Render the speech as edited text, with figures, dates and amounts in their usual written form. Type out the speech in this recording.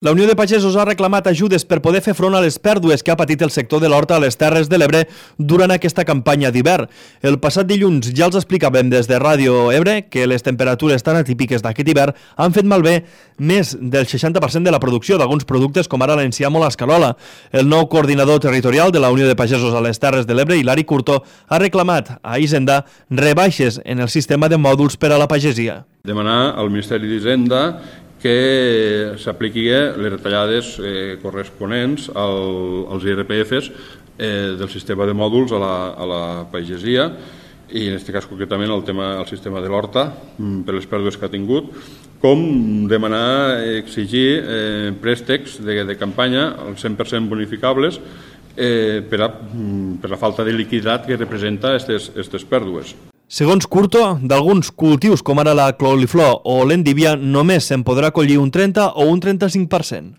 La Unió de Pagesos ha reclamat ajudes per poder fer front a les pèrdues que ha patit el sector de l'horta a les Terres de l'Ebre durant aquesta campanya d'hivern. El passat dilluns ja els explicàvem des de Ràdio Ebre que les temperatures tan atípiques d'aquest hivern han fet malbé més del 60% de la producció d'alguns productes com ara l'enciam o l'escarola. El nou coordinador territorial de la Unió de Pagesos a les Terres de l'Ebre, Hilari Curto, ha reclamat a Hisenda rebaixes en el sistema de mòduls per a la pagesia. Demanar al Ministeri d'Hisenda que s'apliqui les retallades corresponents als IRPFs del sistema de mòduls a la pagesia i en aquest cas concretament el sistema de l'horta per les pèrdues que ha tingut, com demanar, exigir préstecs de campanya al 100% bonificables per la falta de liquiditat que representa aquestes pèrdues. Segons Curto, d'alguns cultius com ara la coliflor o l'endívia només se'n podrà collir un 30 o un 35%.